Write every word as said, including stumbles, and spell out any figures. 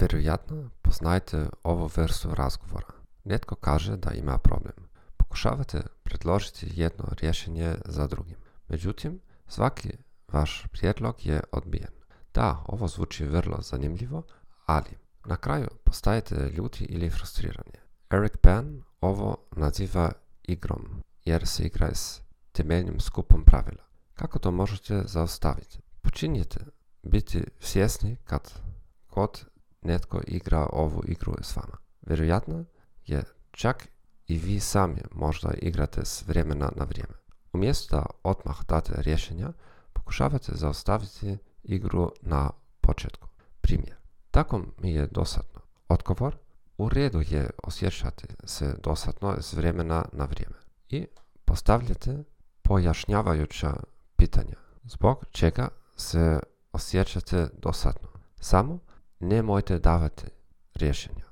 Vjerojatno poznajete ovu vrstu razgovora. Netko kaže da ima problem. Pokušavate predložiti jedno rješenje za drugim. Međutim, svaki vaš prijedlog je odbijen. Da, ovo zvuči vrlo zanimljivo, ali na kraju postajete ljuti ili frustrirani. Eric Berne ovo naziva igrom, jer se igra s temeljnim skupom pravila. Kako to možete zaustaviti? Počinjete biti svjesni kad god netko igra ovu igru s vama. Vjerojatno je čak i vi sami možda igrate s vremena na vrijeme. Umjesto da odmah date rješenja, pokušavate zaustaviti igru na početku. Primjer. Tako mi je dosadno. Odgovor. U redu je osjećati se dosadno s vremena na vrijeme. I postavljate pojašnjavajuća pitanja. Zbog čega se osjećate dosadno? Samo nemojte davati rješenja.